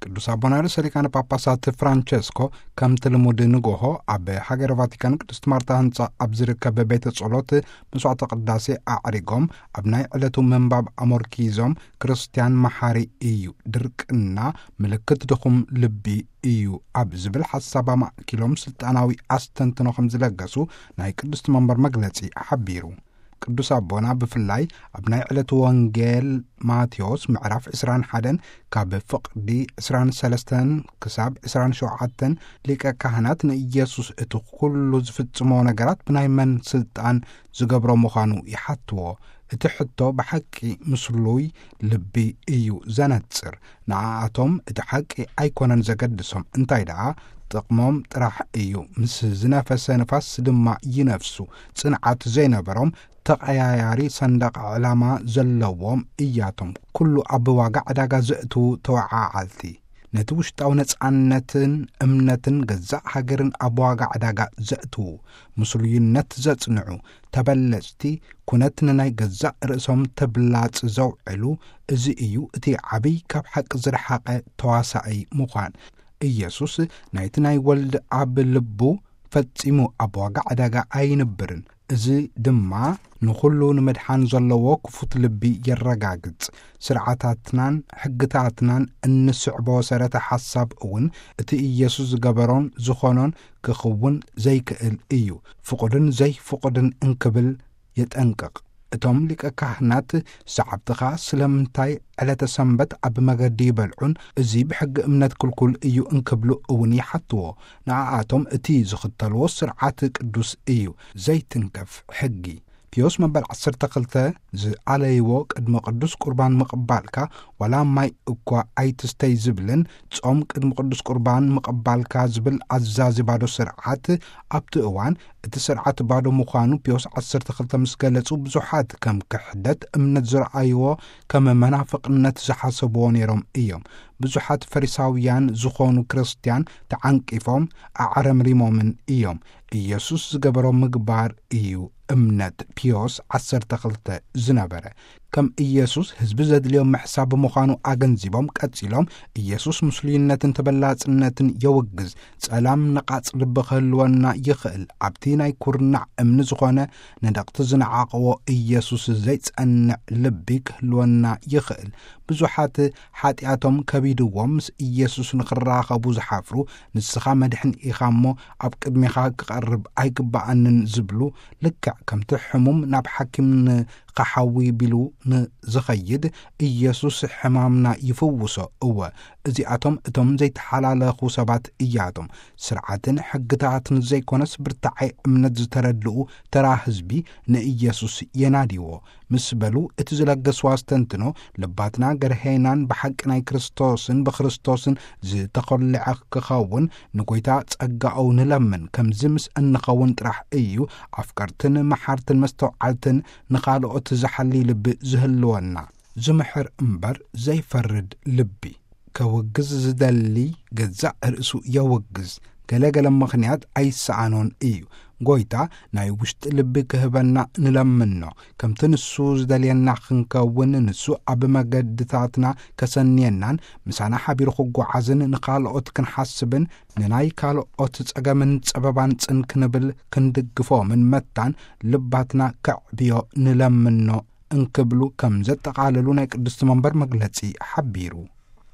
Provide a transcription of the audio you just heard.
ቅዱስ ኣቦና ርእሰ ሊቃነ ጳጳሳት ፍራንቸስኮ ከምቲ ልሙድ ንጎሆ ኣብ ሃገረ ቫቲካን ቅድስት ማርታ ህንጻ ኣብ ዝርከብ ቤተ ጸሎት መስዋዕተ ቅዳሴ ኣዕሪጎም፣ ኣብ ናይ ዕለቱ ምንባብ ኣሞርኪዞም፣ ክርስትያን መሓሪ እዩ፣ ድርቅና ምልክት ድኹም ልቢ እዩ ኣብ ዝብል ሓሳብ ኣማእኪሎም ስልጣናዊ ኣስተንትኖ ከም ዝለገሱ ናይ ቅድስት መንበር መግለጺ ሓቢሩ። ቅዱስ ኣቦና ብፍላይ ኣብ ናይ ዕለቱ ወንጌል ማቴዎስ ምዕራፍ ዕስራን ሓደን ካብ ፍቕዲ ዕስራን ሰለስተን ክሳብ ዕስራን ሸውዓተን ሊቀ ካህናት ንኢየሱስ እቲ ኩሉ ዝፍጽሞ ነገራት ብናይ መን ስልጣን ዝገብሮ ምዃኑ ይሓትዎ። እቲ ሕቶ ብሓቂ ምስሉይ ልቢ እዩ ዘነጽር። ንኣኣቶም እቲ ሓቂ ኣይኮነን ዘገድሶም፣ እንታይ ደኣ ጥቕሞም ጥራሕ እዩ። ምስ ዝነፈሰ ንፋስ ድማ ይነፍሱ። ጽንዓት ዘይነበሮም ተቐያያሪ ሰንደቕ ዕላማ ዘለዎም እያቶም። ኩሉ ኣብ ዋጋ ዕዳጋ ዘእትዉ ተወዓዓልቲ። ነቲ ውሽጣዊ ነጻነትን እምነትን ገዛእ ሃገርን ኣብ ዋጋ ዕዳጋ ዘእትዉ፣ ምስሉይነት ዘጽንዑ፣ ተበለጽቲ፣ ኩነት ንናይ ገዛእ ርእሶም ተብላጽ ዘውዕሉ፣ እዚ እዩ እቲ ዓብይ ካብ ሓቂ ዝረሓቐ ተዋሳኣይ ምዃን። ኢየሱስ ናይቲ ናይ ወልድ ኣብ ልቡ ፈጺሙ ኣብ ዋጋ ዕዳጋ ኣይንብርን። እዚ ድማ ንኹሉ ንምድሓን ዘለዎ ክፉት ልቢ የረጋግጽ። ስርዓታትናን ሕግታትናን እንስዕቦ ሰረተ ሓሳብ እውን እቲ ኢየሱስ ዝገበሮን ዝኾኖን ክኽውን ዘይክእል እዩ። ፍቑድን ዘይፍቑድን እንክብል የጠንቅቕ። እቶም ሊቀ ካህናት ሰዓብትኻ ስለምንታይ ዕለተ ሰንበት ኣብ መገዲ ይበልዑን እዚ ብሕጊ እምነት ክልኩል እዩ እንክብሉ እውን ይሓትዎ። ንኣኣቶም እቲ ዝኽተልዎ ስርዓት ቅዱስ እዩ፣ ዘይትንከፍ ሕጊ። ፒዮስ መበል ዓሰርተ ክልተ ዝኣለይዎ ቅድሚ ቅዱስ ቁርባን ምቕባልካ ዋላ ማይ እኳ ኣይትስተይ ዝብልን ጾም ቅድሚ ቅዱስ ቁርባን ምቕባልካ ዝብል ኣዛዚ ባዶ ስርዓት ኣብቲ እዋን እቲ ስርዓት ባዶ ምዃኑ ፒዮስ ዓሰርተ ክልተ ምስ ገለጹ፣ ብዙሓት ከም ክሕደት እምነት ዝረኣይዎ፣ ከም መናፍቕነት ዝሓሰብዎ ነይሮም እዮም። ብዙሓት ፈሪሳውያን ዝኾኑ ክርስትያን ተዓንቂፎም ኣዕረምሪሞምን እዮም። ኢየሱስ ዝገበሮ ምግባር እዩ እምነት ፒዮስ ዓሰርተ ክልተ ዝነበረ። ከም ኢየሱስ ህዝቢ ዘድልዮ ምሕሳብ ምዃኑ ኣገንዚቦም ቀጺሎም፣ ኢየሱስ ምስሉይነትን ተበላጽነትን የውግዝ። ጸላም ነቓጽ ልቢ ክህልወና ይኽእል። ኣብቲ ናይ ኩርናዕ እምኒ ዝኾነ ንደቕቲ ዝነዓቕዎ ኢየሱስ ዘይጸንዕ ልቢ ክህልወና ይኽእል። ብዙሓት ሓጢኣቶም ከቢድዎም ምስ ኢየሱስ ንኽራኸቡ ዝሓፍሩ፣ ንስኻ መድሕን ኢኻ እሞ ኣብ ቅድሜኻ ክቐርብ ኣይግባኣንን ዝብሉ፣ ልክዕ ከምቲ ሕሙም ናብ ሓኪም ንኸሓዊ ቢሉ ንዝኸይድ፣ ኢየሱስ ሕማምና ይፍውሶ። እወ፣ እዚኣቶም እቶም ዘይተሓላለኹ ሰባት እያቶም። ስርዓትን ሕግታትን ዘይኮነስ ብርታዓይ እምነት ዝተረድኡ ተራ ህዝቢ ንኢየሱስ የናድይዎ። ምስ በሉ እቲ ዝለገስዎ ኣስተንትኖ፣ ልባትና ገርሄናን ብሓቂ ናይ ክርስቶስን ብክርስቶስን ዝተኾልዐ ክኸውን ንጎይታ ጸጋኡ ንለምን። ከምዚ ምስ እንኸውን ጥራሕ እዩ ኣፍቀርትን መሓርትን መስተውዓልትን ንኻልኦት ዝሓሊ ልቢ ዝህልወና። ዝምሕር እምበር ዘይፈርድ ልቢ። ከውግዝ ዝደሊ ገዛእ ርእሱ የውግዝ። ገለ ገለ ምኽንያት ኣይሰኣኖን እዩ። ጎይታ ናይ ውሽጢ ልቢ ክህበና ንለምኖ። ከምቲ ንሱ ዝደልየና ክንከውን፣ ንሱ ኣብ መገድታትና ከሰንየናን ምሳና ሓቢሩ ክጓዓዝን ንኻልኦት ክንሓስብን ንናይ ካልኦት ጸገምን ጸበባን ጽን ክንብል ክንድግፎምን መታን ልባትና ከዕብዮ ንለምኖ እንክብሉ ከም ዘጠቓለሉ ናይ ቅድስቲ መንበር መግለጺ ሓቢሩ።